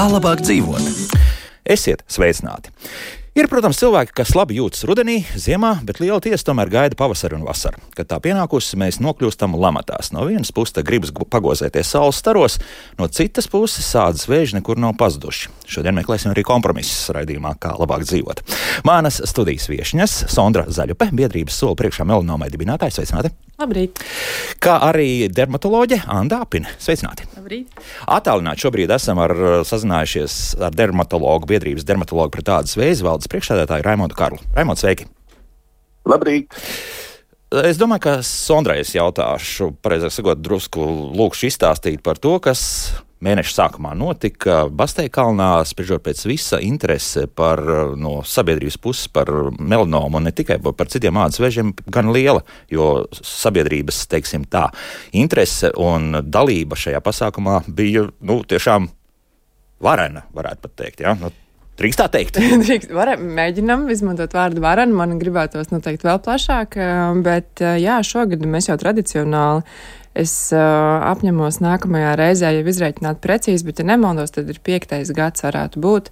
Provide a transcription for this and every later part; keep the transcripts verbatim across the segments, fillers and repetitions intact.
Kā labāk dzīvot? Esiet sveicināti! Ir, protams, cilvēki, kas labi jūtas rudenī, ziemā, bet liela tiesa tomēr gaida pavasari un vasaru. Kad tā pienākusi, mēs nokļūstam lamatās. No vienas puses gribas pagozēties saules staros, no citas puses sādas vēži nekur nav pazuduši. Šodien meklēsim arī kompromisus raidījumā, kā labāk dzīvot. Manas studijas viešņas Sondra Zaļupe, biedrības Soli priekšā melanomai dibinātāja, sveicināti! Labrīt! Kā arī dermatoloģe Anda Apine, sveicināti! Labrīt! Attālināti šobrīd esam ar, sazinājušies ar dermatologu, biedrības dermatologu pret ādas vēzi valdes priekšsēdētāju Raimondu Karlu. Raimond, sveiki! Labrīt! Es domāju, ka Sondrai es jautāšu, pareizāk sakot, drusku lūkšu izstāstīt par to, kas mēneša sākumā notika Basteikalnā, spriežot pēc visa interese par, no sabiedrības puses par melanomu un ne tikai par citiem ādas vēžiem gan liela, jo sabiedrības, teiksim tā, interese un dalība šajā pasākumā bija, nu, tiešām varena, varētu pat teikt, jā? Ja? Nu, drīkst tā teikt? Drīkst, varam, mēģinam izmantot vārdu varena, man gribētos noteikti vēl plašāk, bet jā, šogad mēs jau tradicionāli Es uh, apņemos nākamajā reizē jau izreikināt precīzi, bet, ja nemaldos, tad ir piektais gads varētu būt,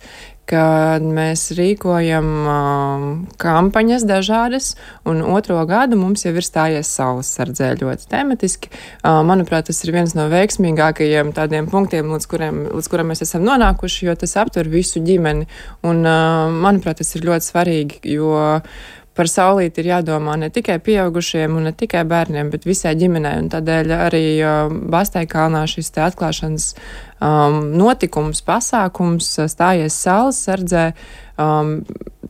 kad mēs rīkojam uh, kampaņas dažādas, un otro gadu mums jau ir stājies saules sardzē ļoti tematiski. Uh, manuprāt, tas ir viens no veiksmīgākajiem tādiem punktiem, līdz kuriem, līdz kuriem mēs esam nonākuši, jo tas aptver visu ģimeni, un, uh, manuprāt, tas ir ļoti svarīgi, jo par saulīti ir jādomā ne tikai pieaugušiem un ne tikai bērniem, bet visai ģimenei. Un tādēļ arī uh, Basteikalnā šis te atklāšanas um, notikums, pasākums stājies saules sardzē, um,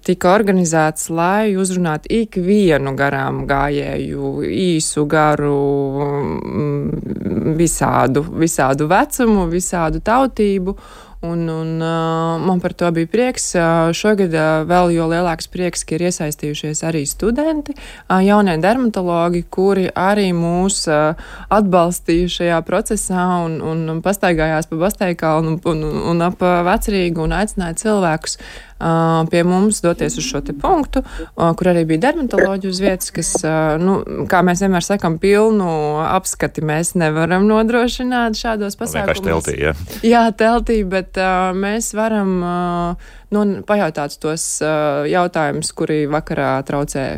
tika organizēts, lai uzrunātu ikvienu garām gājēju, īsu, garu, um, visādu, visādu vecumu, visādu tautību. Un, un uh, man par to bija prieks. Uh, šogad uh, vēl jo lielāks prieks, ka ir iesaistījušies arī studenti, uh, jaunie dermatologi, kuri arī mūs uh, atbalstīja šajā procesā un, un, un pastaigājās pa Basteikalu un, un, un ap Vecrīgu un aicināja cilvēkus uh, pie mums doties uz šo te punktu, uh, kur arī bija dermatoloģi uz vietas, kas, uh, nu, kā mēs vienmēr sakam, pilnu apskati mēs nevaram nodrošināt šādos pasākumos. Vienkārši teltī, ja? Jā, teltī, bet uh, mēs varam uh, nu, pajautāt tos uh, jautājumus, kuri vakarā traucē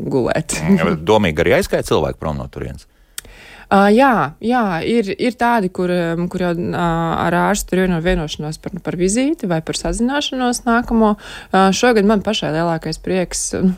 gulēt. Domīgi arī aizskāja cilvēku prom no turienes? Uh, jā, jā ir, ir tādi, kur, kur jau uh, ar ārstu tur ir no vienošanos par, par vizīti vai par sazināšanos nākamo. Uh, šogad man pašai lielākais prieks, uh,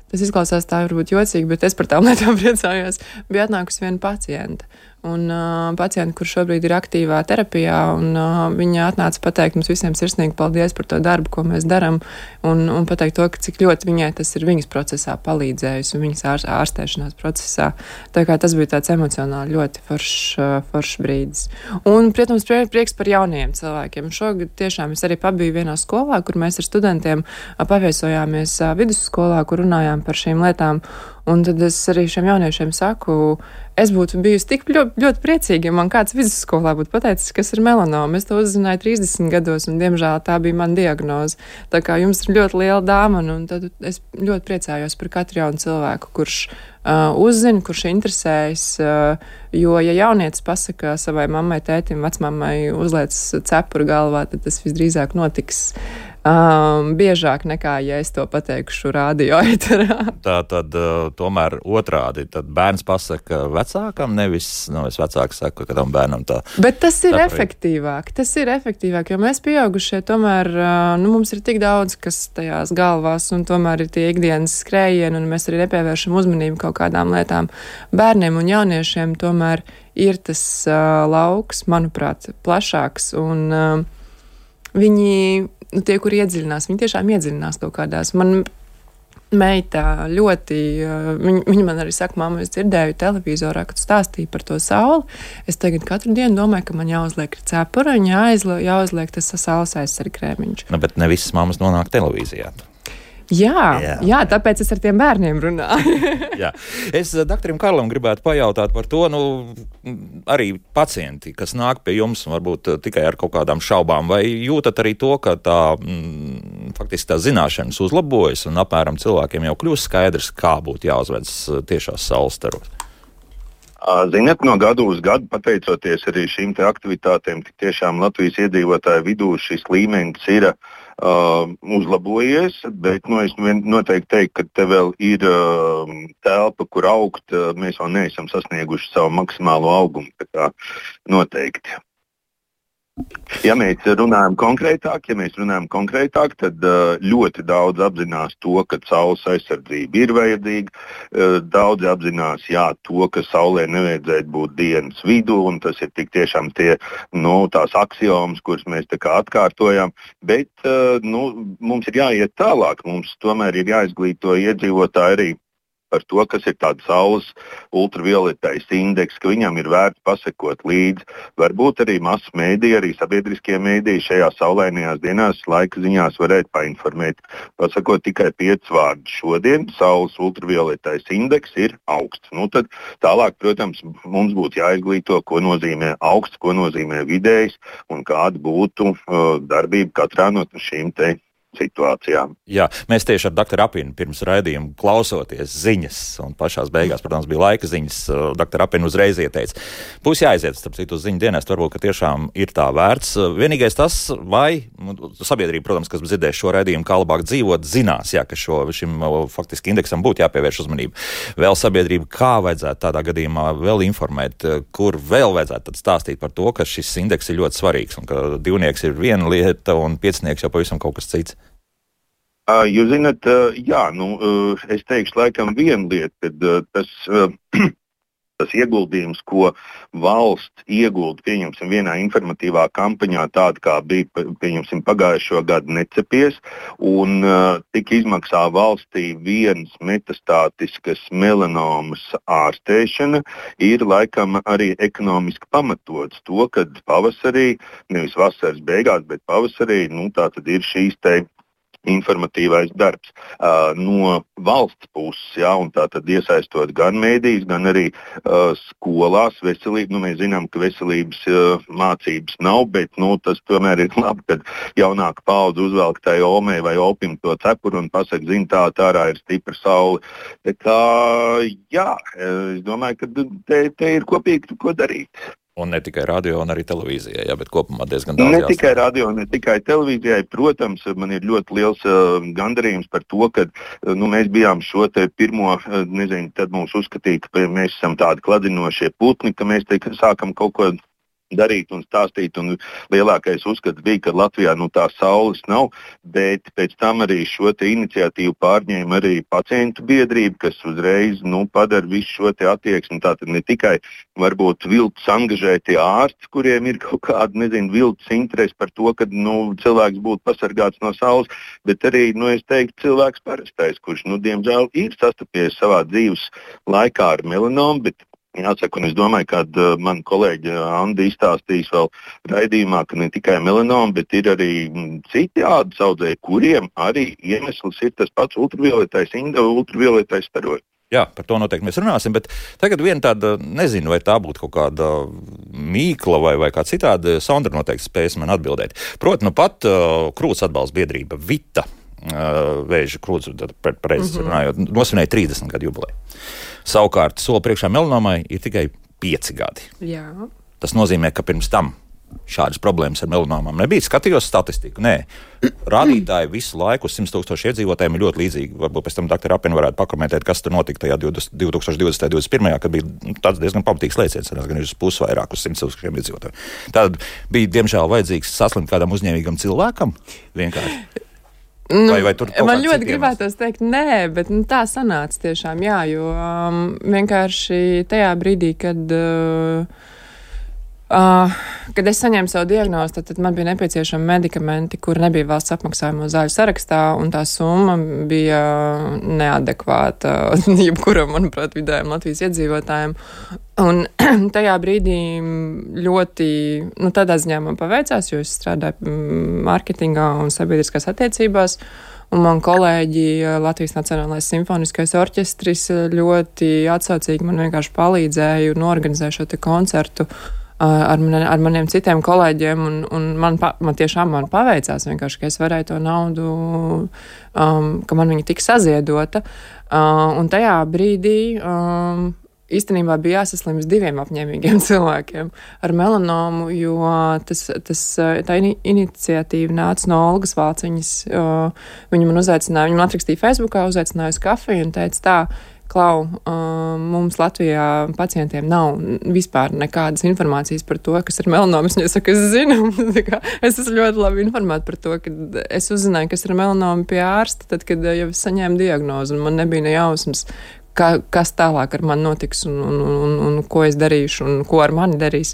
tas izklausās tā varbūt jocīgi, bet es par tām lietām priecājos, bija atnākusi viena pacienta. Un uh, pacienti, kur šobrīd ir aktīvā terapijā, un uh, viņa atnāca pateikt mums visiem sirsnīgi paldies par to darbu, ko mēs daram, un, un pateikt to, ka cik ļoti viņai tas ir viņas procesā palīdzējis un viņas ār, ārstēšanās procesā. Tā kā tas bija tāds emocionāli ļoti foršs, foršs brīdis. Un, protams, prieks par jaunajiem cilvēkiem. Šogad tiešām es arī pabiju vienā skolā, kur mēs ar studentiem paviesojāmies vidusskolā, kur runājām par šīm lietām. Un tad es arī šiem jauniešiem saku, es būtu bijusi tik ļoti, ļoti priecīga, ja man kāds vidusskolā būtu pateicis, kas ir melanoma. Es to uzzināju trīsdesmit gados, un diemžēl tā bija mana diagnoze. Tā kā jums ir ļoti liela dāvana, un tad es ļoti priecājos par katru jaunu cilvēku, kurš uh, uzzina, kurš interesējas, uh, jo, ja jaunietis pasaka savai mammai, tētim, vecmammai uzliec cepuru galvā, tad tas visdrīzāk notiks Um, biežāk nekā, ja es to pateikšu rādio eterā. Tā tad uh, tomēr otrādi, tad bērns pasaka vecākam, nevis, nu, es vecāks saku, ka tam bērnam tā. Bet tas ir tā efektīvāk, tas ir efektīvāk, jo mēs pieaugušie tomēr, uh, nu, mums ir tik daudz, kas tajās galvās, un tomēr ir tie ikdienas skrējieni, un mēs arī nepievēršam uzmanību kaut kādām lietām. Bērniem un jauniešiem tomēr ir tas uh, lauks, manuprāt, plašāks, un uh, viņi Nu, tie, kuri iedziļinās, viņi tiešām iedziļinās kaut kādās. Man meita ļoti, viņa, viņa man arī saka, mamma, es dzirdēju televizorā, kad stāstīja par to sauli. Es tagad katru dienu domāju, ka man jāuzliek cepura un jāizliek, jāuzliek tas saules aizsargkrēmiņš. Nu, bet ne visas mammas nonāk televīzijā. Jā, jā, jā, tāpēc es ar tiem bērniem runāju. Jā. Es doktoram Karlam gribētu pajautāt par to, nu, arī pacienti, kas nāk pie jums, varbūt tikai ar kaut kādām šaubām, vai jūtat arī to, ka tā, mm, faktiski tā zināšanas uzlabojas un apmēram cilvēkiem jau kļūst skaidrs, kā būtu jāuzvedas tiešās saules staros? Ziniet, no gadu uz gadu, pateicoties arī šīm te aktivitātēm, tik tiešām Latvijas iedzīvotāju vidū šis līmenis ir uh, uzlabojies, bet nu, es noteikti teiktu, ka te vēl ir uh, telpa, kur augt. Uh, mēs vēl neesam sasnieguši savu maksimālo augumu. Tā kā noteikti. Ja mēs runājam konkrētāk, ja mēs runājam konkrētāk, tad uh, ļoti daudz apzinās to, ka saules aizsardzība ir vajadzīga. Uh, daudzi apzinās, jā, to, ka saulē nevajadzētu būt dienas vidū, un tas ir tik tiešām tie, nu, tās axiomas, kuras mēs tā kā atkārtojam. Bet uh, nu, mums ir jāiet tālāk, mums tomēr ir jāizglīto iedzīvotāji arī par to, kas ir tāds saules ultravioletais indeks, ka viņam ir vērts pasekot līdzi. Varbūt arī masu mēdī, arī sabiedriskie mēdī šajā saulainajās dienās laika ziņās varētu painformēt. Pasakot tikai piecus vārdus. Šodien saules ultravioletais indeks ir augsts. Nu, tad tālāk, protams, mums būtu jāizglīto, ko nozīmē augsts, ko nozīmē vidējs un kāda būtu uh, darbība katrā no šīm te situācijām. Jā, mēs tieši ar doktoru Apinu pirms raidījuma klausoties ziņas, un pašās beigās, protams, bija laika ziņas, doktoru Apinu uzreiz ieteica. Būs jāaiziet, starp citu, uz ziņu dienestu, varbūt, ka tiešām ir tā vērts. Vienīgais tas, vai sabiedrība, protams, kas dzirdēs šo raidījumu, kā labāk dzīvot, zinās, jā, ka šo, šim faktiski indeksam būtu jāpievērš uzmanība. Vēl sabiedrība, kā vajadzētu tādā gadījumā vēl informēt, kur vēl vajadzētu tad stāstīt par to, ka šis indeks ir ļoti svarīgs, un ka divnieks ir viena lieta, un piecinieks jau pavisam kaut kas cits. Uh, jūs zināt, uh, jā, nu, uh, es teikšu laikam vienu lietu, kad uh, tas, uh, tas ieguldījums, ko valsts iegulda, pieņemsim, vienā informatīvā kampaņā, tāda kā bija, pieņemsim, pagājušo gadu necepies, un uh, tika izmaksā valstī viens metastātiskas melanomas ārstēšana, ir laikam arī ekonomiski pamatots to, kad pavasarī, nevis vasaras beigās, bet pavasarī, nu, tā tad ir šīs te informatīvais darbs uh, no valsts puses, jā, un tā tad iesaistot gan mēdījus, gan arī uh, skolās veselību. Nu, mēs zinām, ka veselības uh, mācības nav, bet nu, tas tomēr ir labi, kad jaunāka paudze uzvelk tai omei vai opim to cepuru un pasaka, zin, tā, tā ārā ir stipra saule. Tā kā, jā, es domāju, ka te, te ir kopīgi ko darīt. Un ne tikai radio, un arī televīzijai, jā, bet kopumā diezgan daudz Ne jāstāv. tikai radio, ne tikai televīzijai. Protams, man ir ļoti liels uh, gandarījums par to, ka uh, nu, mēs bijām šo te pirmo, uh, nezinu, tad mums uzskatīja, ka mēs esam tādi kladinošie putni, ka mēs te sākam kaut ko darīt un stāstīt, un lielākais uzskats bija, ka Latvijā nu, tā saules nav, bet pēc tam arī šo te iniciatīvu pārņēma arī pacientu biedrība, kas uzreiz nu, padara visu šo te attieksmi. Tātad ne tikai varbūt viltus angažētie ārsti, kuriem ir kaut kāda, nezinu, viltus interesi par to, ka nu, cilvēks būtu pasargāts no saules, bet arī, nu, es teiktu, cilvēks parastais, kurš, nu, diemžēl ir sastapies savā dzīves laikā ar melanomu, bet jāsaka, un es domāju, ka uh, man kolēģi Andi izstāstīs vēl raidījumā, ka ne tikai melanoma, bet ir arī m, citi ādas audzēji, kuriem arī iemesls ir tas pats ultravioletais, ultravioletais staroļs. Jā, par to noteikti mēs runāsim, bet tagad viena tāda, nezinu, vai tā būtu kaut kāda mīkla vai, vai kā citādi, Sondra noteikti spējas man atbildēt. Proti, nu pat uh, krūts atbalsta biedrība Vita, uh, vēža krūts, pareizi mm-hmm. runājot, nosvinēja trīsdesmit gadu jubileju. Savukārt, soli priekšā melanomai ir tikai pieci gadi. Jā. Tas nozīmē, ka pirms tam šādas problēmas ar melanomām nebija. Skatījos statistiku. Nē, rādītāji visu laiku uz simt tūkstoši iedzīvotājiem ir ļoti līdzīgi. Varbūt pēc tam doktora Apina varētu pakomentēt, kas tur notika tajā divtūkstoš divdesmitajā un divdesmit pirmajā, kad bija tāds diezgan pamatīgs lēciens, gan uz pusi vairāk uz simt tūkstošiem iedzīvotājiem. Tad bija, diemžēl, vajadzīgs saslimt kādam uzņēmīgam cilvēkam vienkārši. Nu, vai, vai tur man ļoti gribētos teikt, nē, bet nu, tā sanāca tiešām, jā, jo um, vienkārši tajā brīdī, kad, uh, uh, kad es saņēmu savu diagnozi, tad, tad man bija nepieciešami medikamenti, kuri nebija valsts apmaksājamo zāļu sarakstā, un tā summa bija neadekvāta jebkuram, manuprāt, vidējiem Latvijas iedzīvotājiem. Un tajā brīdī ļoti, nu, tādā ziņā man paveicās, jo es strādāju mārketingā un sabiedriskās attiecībās, un man kolēģi Latvijas Nacionālais simfoniskais orķestris ļoti atsaucīgi man vienkārši palīdzēja un organizēja šo te koncertu ar, man, ar maniem citiem kolēģiem, un, un man, man tiešām man paveicās vienkārši, ka es varēju to naudu, um, ka man viņa tika saziedota, uh, un tajā brīdī um, īstenībā bija jāsaslimst diviem apņēmīgiem cilvēkiem ar melanomu, jo tas, tas, tā iniciatīva nāca no Olgas Valciņas. Viņa man uzaicināja, viņa man atrakstīja Facebookā, uzaicināja uz kafiju un teica tā, Klau, mums Latvijā pacientiem nav vispār nekādas informācijas par to, kas ir melanomas. Viņa saka, es zinu, es esmu ļoti labi informēta par to, ka es uzzināju, kas ir melanoma pie ārsta, tad, kad jau es saņēmu diagnozi, un man nebija ne jausmas, Ka, kas tālāk ar mani notiks un, un, un, un ko es darīšu un ko ar mani darīs.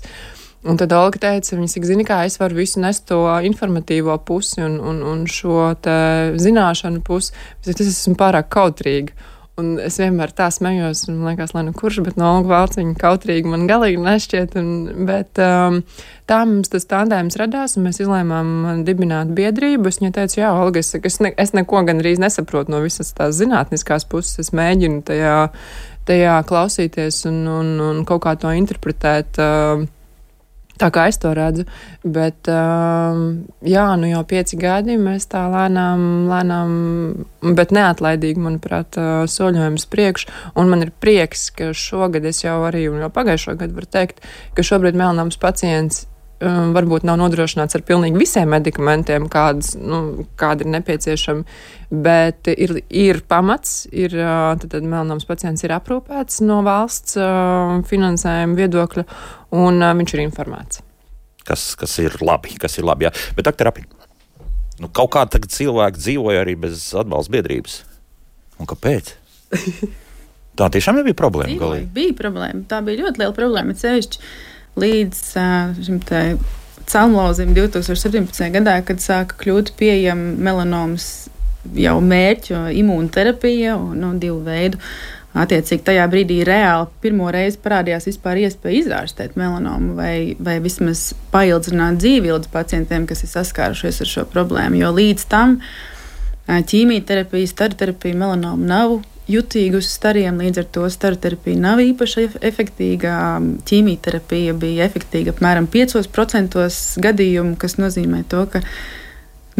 Un tad Olga teica, viņa saka, zini kā, es varu visu nest to informatīvo pusi un, un, un šo te zināšanu pusi, bet es esmu pārāk kautrīga. Un es vienmēr tā smējos, un man liekas, lai nu kurš, bet no Olga Valciņa kautrīgi man galīgi nešķiet. Un, bet um, tā mums tas tandēms radās, un mēs izlēmām dibināt biedrību. Es viņai teicu, jā, Olga, es, es, ne, es neko gandrīz nesaprotu no visas tās zinātniskās puses. Es mēģinu tajā, tajā klausīties un, un, un kaut kā to interpretēt. Uh, Tā kā es to redzu, bet jā, nu jau pieci gadi mēs tā lēnām, lēnām, bet neatlaidīgi, manuprāt, soļojam uz priekšu, un man ir prieks, ka šogad es jau arī, un jau pagājušo gadu var teikt, ka šobrīd melnāms pacients varbūt nav nodrošināts ar pilnīgi visiem medikamentiem, kādas, nu, kādi ir nepieciešami, bet ir, ir pamats, ir, tad, tad melnāms pacients ir aprūpēts no valsts finansējuma viedokļa, un viņš ir informēts. Kas, kas ir labi, kas ir labi, jā. Bet, doktor Apiņ, nu, kaut kā tagad cilvēki dzīvoja arī bez atbalsta biedrības. Un kāpēc? Tā tiešām nebija problēma. Dzīvoja, bija problēma. Tā bija ļoti liela problēma. Sevišķi līdz šim te celmlauzim divtūkstoš septiņpadsmitajā gadā, kad sāka kļūt pieejama melanomas jau mērķu imūnterapija un no divu veidu. Attiecīgi tajā brīdī reāli pirmo reizi parādījās vispār iespēja izārstēt melanomu vai, vai vismaz paildzināt dzīvības pacientiem, kas ir saskārušies ar šo problēmu. Jo līdz tam ķīmijterapija, staroterapija melanomu nav jutīgi uz stariem, līdz ar to staroterapija nav īpaši efektīga. Ķīmijterapija bija efektīga apmēram piecos procentos gadījumu, kas nozīmē to, ka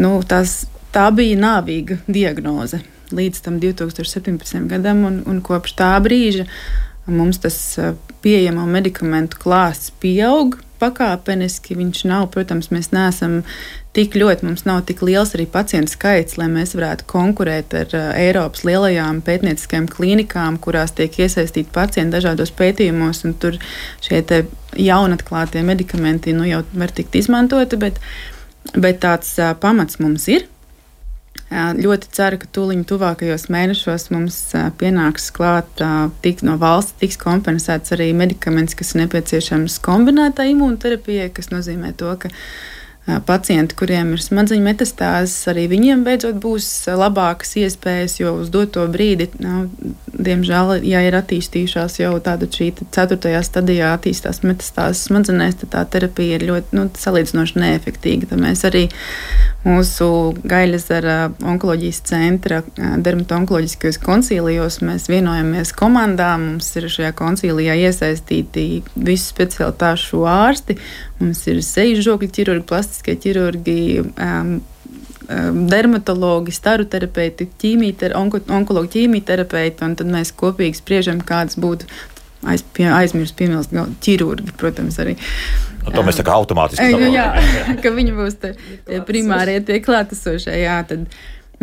nu, tās, tā bija nāvīga diagnoze līdz tam divtūkstoš septiņpadsmitajam gadam, un, un kopš tā brīža mums tas pieejamo medikamentu klāsts pieaug pakāpeniski. Viņš nav, protams, mēs neesam tik ļoti, mums nav tik liels arī pacientu skaits, lai mēs varētu konkurēt ar uh, Eiropas lielajām pētnieciskajām klīnikām, kurās tiek iesaistīti pacienti dažādos pētījumos, un tur šie te jaunatklātie medikamenti nu, jau var tikt izmantoti, bet, bet tāds uh, pamats mums ir. Ļoti ceru, ka tūliņ tuvākajos mēnešos mums pienāks klāt, tik, no valsts tiks kompensēts arī medikaments, kas ir nepieciešams kombinētā imūnterapijai, kas nozīmē to, ka pacienti, kuriem ir smadzeņu metastāzes, arī viņiem beidzot būs labākas iespējas, jo uz doto brīdi, nu, diemžēl, ja ir attīstījušās jau tāda šī ceturtajā stadijā attīstās metastāzes smadzenēs, tad tā terapija ir ļoti, nu, salīdzinoši neefektīga. Tad mēs arī mūsu Gaļezera onkoloģijas centra dermatonkoloģiskajos koncīlijos mēs vienojamies komandā, mums ir šajā koncīlijā iesaistīti visu specialitāšu ārsti, mums ir seju žokļu ķirurgi, plastiskie ķirurgi, um, um, dermatologi, staroterapeiti, ķīmijter, onko, onkologi ķīmijterapeiti, un tad mēs kopīgi spriežam, kādas būtu aiz, pie, aizmirst piemilst ķirurgi, protams, arī. Un to mēs tā kā automātiski saprotam. Jā, jā, ka viņi būs te, tie primārie, tie klātesošie, jā, tad,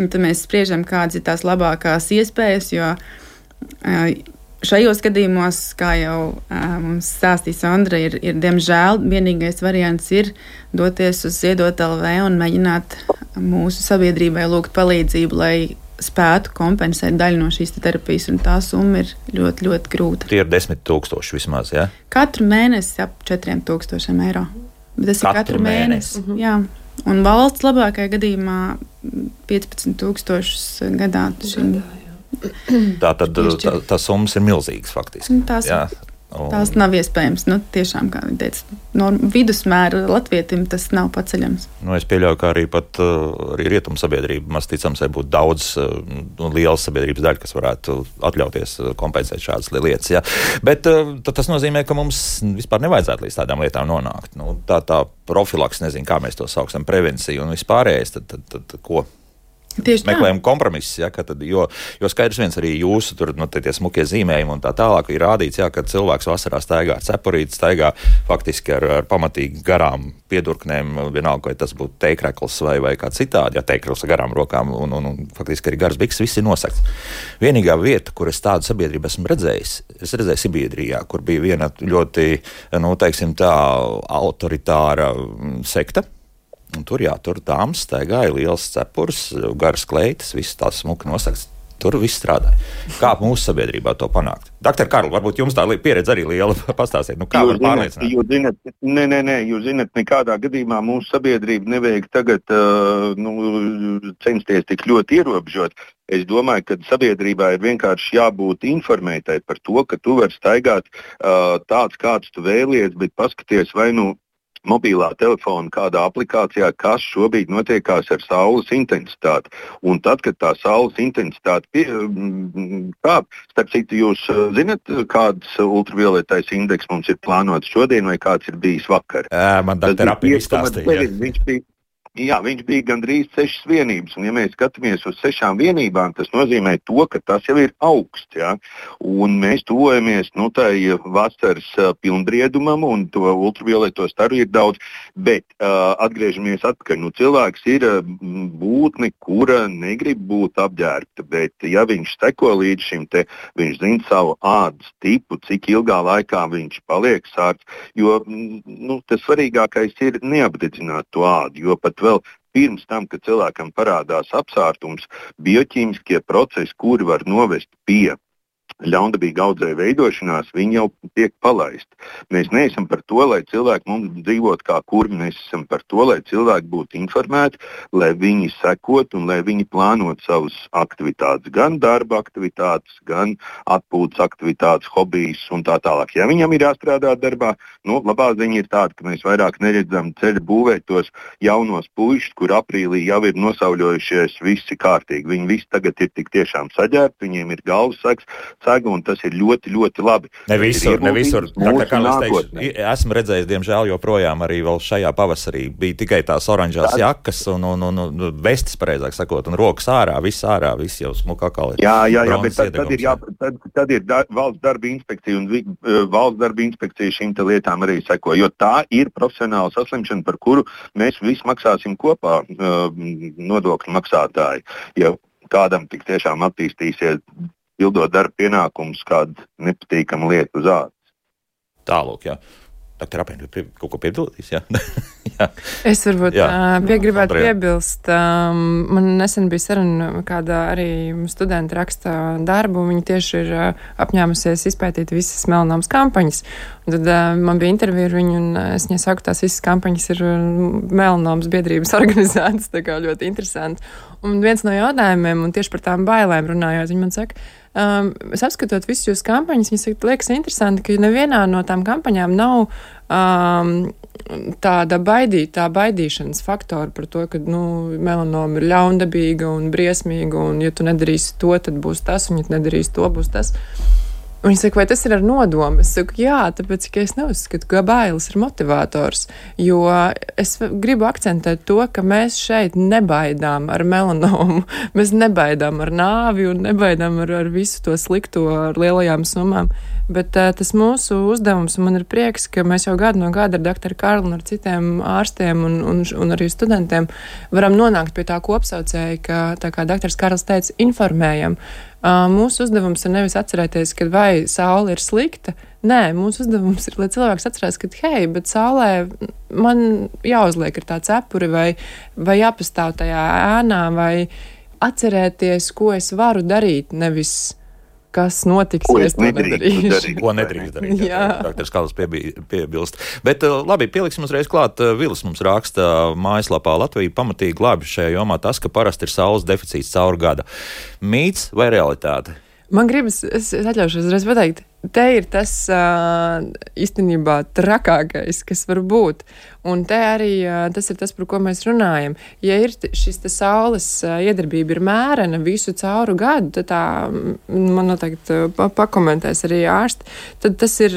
tad mēs spriežam, kādas ir tās labākās iespējas, jo uh, šajos gadījumos, kā jau uh, mums stāstīs Sondra, ir, ir diemžēl vienīgais variants ir doties uz Ziedot L V un mēģināt mūsu sabiedrībai lūgt palīdzību, lai spētu kompensēt daļu no šīs terapijas, un tā summa ir ļoti, ļoti grūta. Tie ir desmit tūkstoši vismaz, jā? Ja? Katru mēnesi ap četriem tūkstošiem eiro. Bet tas katru ir katru mēnesi. mēnesi. Jā. Un valsts labākajā gadījumā piecpadsmit tūkstošus gadā. Šim, tā tad tā, tā summas ir milzīgas faktiski. Tās, jā. Un... tās nav iespējams. Nu, tiešām, kā viņi teica, no vidusmēra latvietim tas nav paceļams. Nu, es pieļauju, ka arī pat arī rietumu sabiedrība, maz ticams, būtu daudz nu, lielas sabiedrības daļa, kas varētu atļauties kompensēt šādas lietas. Jā. Bet tad tas nozīmē, ka mums vispār nevajadzētu līdz tādām lietām nonākt. Nu, tā tā profilaks, nezinu, kā mēs to sauksam, prevencija un vispārējais, tad, tad, tad, tad ko? meklējam kompromisus, ja, tad, jo, jo skaidrs viens arī jūsu tur, nu, tie smukie zīmējumi un tā tālāk ir rādīts, ja, ka cilvēks vasarā staigā ar cepurīti, staigā faktiski ar, ar pamatīgi garām piedurknēm, vienalga, vai tas būtu teikrekls vai, vai kā citādi, ja teikrekls ar garām rokām un, un, un faktiski arī garas bikses, viss ir nosakts. Vienīgā vieta, kur es tādu sabiedrību esmu redzējis, es redzēju Sibiedrijā, kur bija viena ļoti, nu, teiksim tā, autoritāra sekta. Un tur, jā, tur dāmas staigāja liels cepurs, garas kleitas, viss tās smuki nosakts. Tur viss strādāja. Kā mūsu sabiedrībā to panākt? Doktor Karl, varbūt jums tā pieredze arī liela, pastāstiet, nu kā jūs var pārliecināt? Jūs zināt, nē, nē, nē, jūs zināt, nekādā gadījumā mūsu sabiedrība nevajag tagad uh, nu, censties tik ļoti ierobežot. Es domāju, ka sabiedrībā ir vienkārši jābūt informētai par to, ka tu vari staigāt uh, tāds, kāds tu vēlies, bet paskaties vai nu mobilā telefona kādā aplikācijā, kas šobrīd notiekās ar saules intensitāti. Un tad, kad tā saules intensitāte pie, kāp, starp citu, jūs zinat, kāds ultravioletais indeks mums ir plānots šodien vai kāds ir bijis vakar? Jā, man doktor Apī izstāstīja. Viņš bija Jā, viņš bija gandrīz sešas vienības, un ja mēs skatāmies uz sešām vienībām, tas nozīmē to, ka tas jau ir augsts, ja? Un mēs tuvojamies, nu, tai vasaras uh, pilnbriedumam, un to ultravioleto staru ir daudz, bet uh, atgriežamies atpakaļ. Nu, cilvēks ir uh, būtne, kura negrib būt apģērbta, bet ja viņš seko līdz šim te, viņš zina savu ādas tipu, cik ilgā laikā viņš paliek sārts, jo, nu, tas svarīgākais ir neapdedzināt to ādu, jo pat vēl pirms tam, kad cilvēkam parādās apsārtums, bioķīmiskie procesi, kuri var novest pie ļaundabīga audzēja veidošanās, viņi jau tiek palaisti. Mēs neesam par to, lai cilvēki mums dzīvot kā kurmi, mēs esam par to, lai cilvēki būtu informēti, lai viņi sekot un lai viņi plānot savus aktivitātes, gan darba aktivitātes, gan atpūtas aktivitātes, hobijas un tā tālāk. Ja viņam ir jāstrādā darbā, nu, labā ziņa ir tāda, ka mēs vairāk neredzam ceļu būvēt tos jaunos puišus, kur aprīlī jau ir nosauļojušies visi kārtīgi. Viņi visi tagad ir tik tiešām saģērbti, viņiem ir galvas seks, un tas ir ļoti, ļoti labi. Ne visur, ne visur. Teikšu, esmu redzējis, diemžēl, joprojām arī vēl šajā pavasarī bija tikai tās oranžās tā. jakas un, un, un, un vestis, pareizāk sakot, un rokas ārā, viss ārā, viss jau smuka akali. Jā, jā, jā, bet tad, tad ir, jā, tad, tad ir da, valsts darba inspekcija, un uh, valsts darba inspekcija šīm te lietām arī seko, jo tā ir profesionāla saslimšana, par kuru mēs visi maksāsim kopā uh, nodokļu maksātāji. Ja kādam tik tiešām attīstīsies pildot darba pienākumus, kāda nepatīkama lieta uz ādas. Tālūk, jā. Doktor Apēn, kaut ko piebildīs, jā? jā. Es varbūt jā. pie, gribētu Andrejā. piebilst. Um, man nesen bija saruna, kāda arī studenta raksta darbu, viņa tieši ir uh, apņēmusies izpētīt visas melanomas kampaņas. Un tad uh, man bija intervija ar viņu, un es viņai saku, tās visas kampaņas ir melanomas biedrības organizētas, tā kā ļoti interesanti. Un viens no jautājumiem, un tieši par tām bailēm runājot, viņa man saka, Um, es apskatot visus jūsu kampaņas, viņas liekas interesanti, ka nevienā no tām kampaņām nav um, tāda baidītā baidīšanas faktora par to, ka, nu, melanoma ir ļaundabīga un briesmīga, un ja tu nedarīsi to, tad būs tas, un ja tu nedarīsi to, būs tas. Un viņi saka, vai tas ir ar nodomu? Es saku, jā, tāpēc, ka es neuzskatu, ka bailes ir motivators, jo es gribu akcentēt to, ka mēs šeit nebaidām ar melanomu, mēs nebaidām ar nāvi un nebaidām ar, ar visu to slikto, ar lielajām summām, bet uh, tas mūsu uzdevums, un man ir prieks, ka mēs jau gadu no gada ar doktoru Karlu un ar citiem ārstiem un, un, un arī studentiem varam nonākt pie tā kopsaucēja, ka, tā kā doktors Karls teica, informējam. Uh, mūsu uzdevums ir nevis atcerēties, ka vai saule ir slikta. Nē, mūsu uzdevums ir, lai cilvēks atcerās, ka hei, bet saulē man jāuzliek ar tā cepuri vai, vai jāpastāv tajā ēnā vai atcerēties, ko es varu darīt, nevis kas notiks, ko ja es to nedarīšu. Darīt. Ko nedrīkst darīt, jā. Doktors Karls piebilst. Bet labi, pieliksim uzreiz klāt. Vilis mums raksta mājaslapā Latvija pamatīgi glābi šajā jomā tas, ka parasti ir saules deficīts caur gada. Mīts vai realitāte? Man gribas, es atļaušos uzreiz pateikt, te ir tas īstenībā trakākais, kas var būt. Un te arī tas ir tas, par ko mēs runājam. Ja ir šis te saules iedarbība ir mērena visu cauru gadu, tad tā, man noteikti pakomentēs arī ārsti, tad tas ir,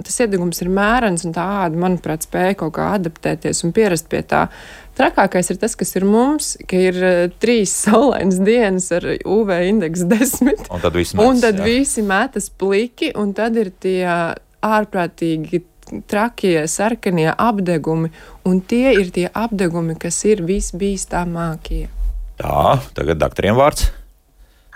tas iedegums ir mērens un tā āda, manuprāt, spēja kaut kā adaptēties un pierast pie tā. Trakākais ir tas, kas ir mums, ka ir trīs saulainas dienas ar U V indeksu desmit. Un tad visi metas, un tad jā. visi metas pliki, un tad ir tie ārprātīgi trakie, sarkanie apdegumi, un tie ir tie apdegumi, kas ir visbīstamākie. Tā, tagad doktoriem vārds.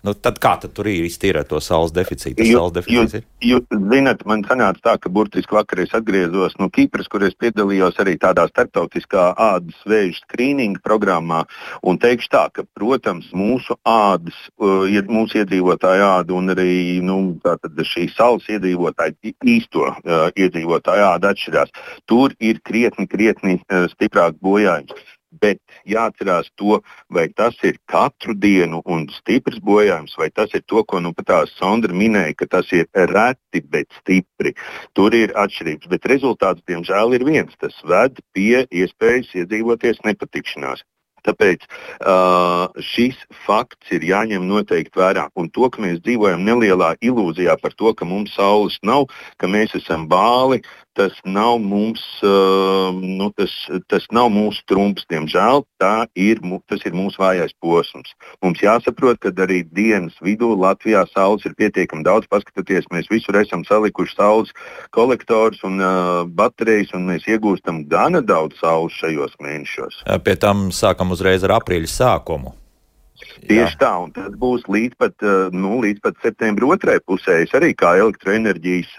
Nu, tad kā tad tur ir iztīra to saules deficītu? Jū, saules deficīts ir? Jūs zināt, man sanāca tā, ka burtiski vakar es atgriezos no Kipras, kur es piedalījos arī tādā starptautiskā ādas vēža skrīninga programmā, un teikšu tā, ka, protams, mūsu ādas, mūsu iedzīvotāju āda un arī nu, tātad šī saules iedzīvotāju, īsto uh, iedzīvotāju āda atšķirās. Tur ir krietni, krietni uh, stiprāk bojājums. Bet jāatcerās to, vai tas ir katru dienu un stiprs bojājums, vai tas ir to, ko nu pat tā Sondra minēja, ka tas ir reti, bet stipri. Tur ir atšķirības, bet rezultāts, diemžēl, ir viens. Tas ved pie iespējas iedzīvoties nepatikšanās. Tāpēc uh, šis fakts ir jāņem noteikti vērā. Un to, ka mēs dzīvojam nelielā ilūzijā par to, ka mums saules nav, ka mēs esam bāli, tas nav mums, uh, nu, tas, tas nav mūsu trumps, diemžēl. Tā ir, tas ir mūsu vājais posms. Mums jāsaprot, ka arī dienas vidū Latvijā saules ir pietiekami daudz. Paskatieties, mēs visur esam salikuši saules kolektorus un uh, baterijas, un mēs iegūstam gana daudz saules šajos mēnešos. Pie tam sākam uzreiz ar aprīļa sākumu. Tieši Jā. tā, un tas būs līdz pat, nu, līdz pat septembra otrai pusē. Es arī kā elektroenerģijas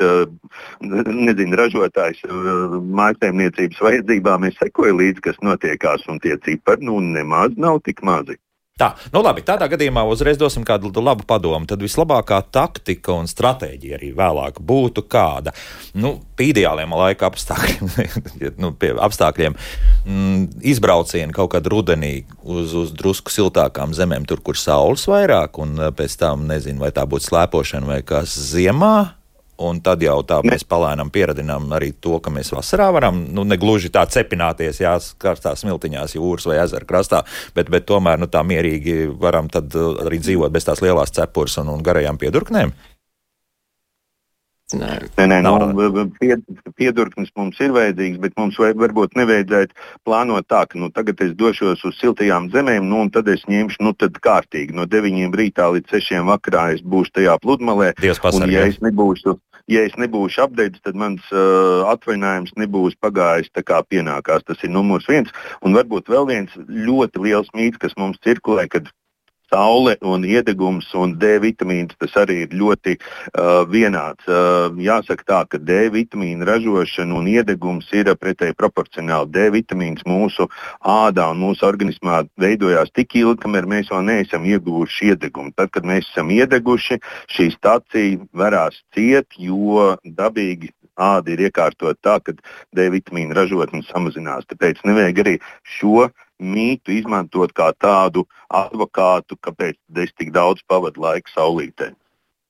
nezinu, ražotājs mājsaimniecības vajadzībām es sekoju līdzi, kas notiekās, un tie cipari nu, nemaz nav tik mazi. Tā, nu labi, tādā gadījumā uzreiz dosim kādu labu padomu. Tad vislabākā taktika un stratēģija arī vēlāk būtu kāda. Nu, pie ideāliem laika apstākļiem, nu, pie apstākļiem mm, izbraucieni kaut kad rudenī uz, uz drusku siltākām zemēm, tur, kur saules vairāk, un pēc tam, nezinu, vai tā būtu slēpošana vai kas ziemā. Un tad jau tā mēs palēnām pieradinām arī to, ka mēs vasarā varam, nu, negluži tā cepināties, jā, karstās smiltiņās jūras vai ezera krastā, bet, bet tomēr, nu, tā mierīgi varam tad arī dzīvot bez tās lielās cepures un, un garajām piedurknēm. Nē, nē, nu, pied, piedurknis mums ir vajadzīgs, bet mums vai, varbūt nevajadzētu plānot tā, ka nu, tagad es došos uz siltajām zemēm, nu, un tad es ņemšu nu, tad kārtīgi. No deviņiem rītā līdz sešiem vakarā es būšu tajā pludmalē. Dievs pasargā. Un, ja es nebūšu, ja es nebūšu apdeidis, tad mans uh, atvainājums nebūs pagājis tā kā pienākās. Tas ir numurs viens. Un varbūt vēl viens ļoti liels mīts, kas mums cirkulē, kad saule un iedegums un D vitamīns, tas arī ir ļoti uh, vienāds. Uh, jāsaka tā, ka D vitamīna ražošana un iedegums ir pretēji proporcionāli. D vitamīns mūsu ādā un mūsu organismā veidojās tik ilgi, kamēr mēs vēl neesam ieguvuši iedegumu. Tad, kad mēs esam iedeguši, šī stacija varās ciet, jo dabīgi āda ir iekārtot tā, ka D vitamīna ražotne samazinās. Tāpēc nevajag arī šo mītu izmantot kā tādu advokātu, kāpēc es tik daudz pavadu laiku saulītē.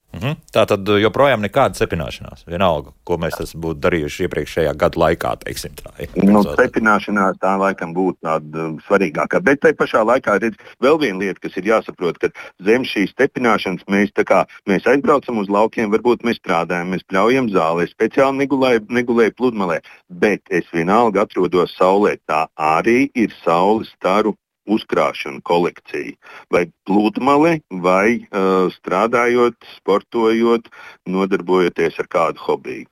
Mhm. Tā tad joprojām nekāda cepināšanās. Vienalga, ko mēs esam būtu darījuši iepriekšējā gada laikā, teiksim tā. Nu, cepināšanās tā laikam būtu tāda svarīgākā. Bet tai pašā laikā redz vēl viena lieta, kas ir jāsaprot, ka zem šīs cepināšanas mēs tā kā, mēs aizbraucam uz laukiem, varbūt mēs strādājam, mēs pļaujam zālē, speciāli negulēju, negulēju pludmalē, bet es vienalga atrodos saulē. Tā arī ir saules staru uzkrāšana kolekcija. Vai pludmale, vai uh, strādājot, sportojot, nodarbojoties ar kādu hobiju.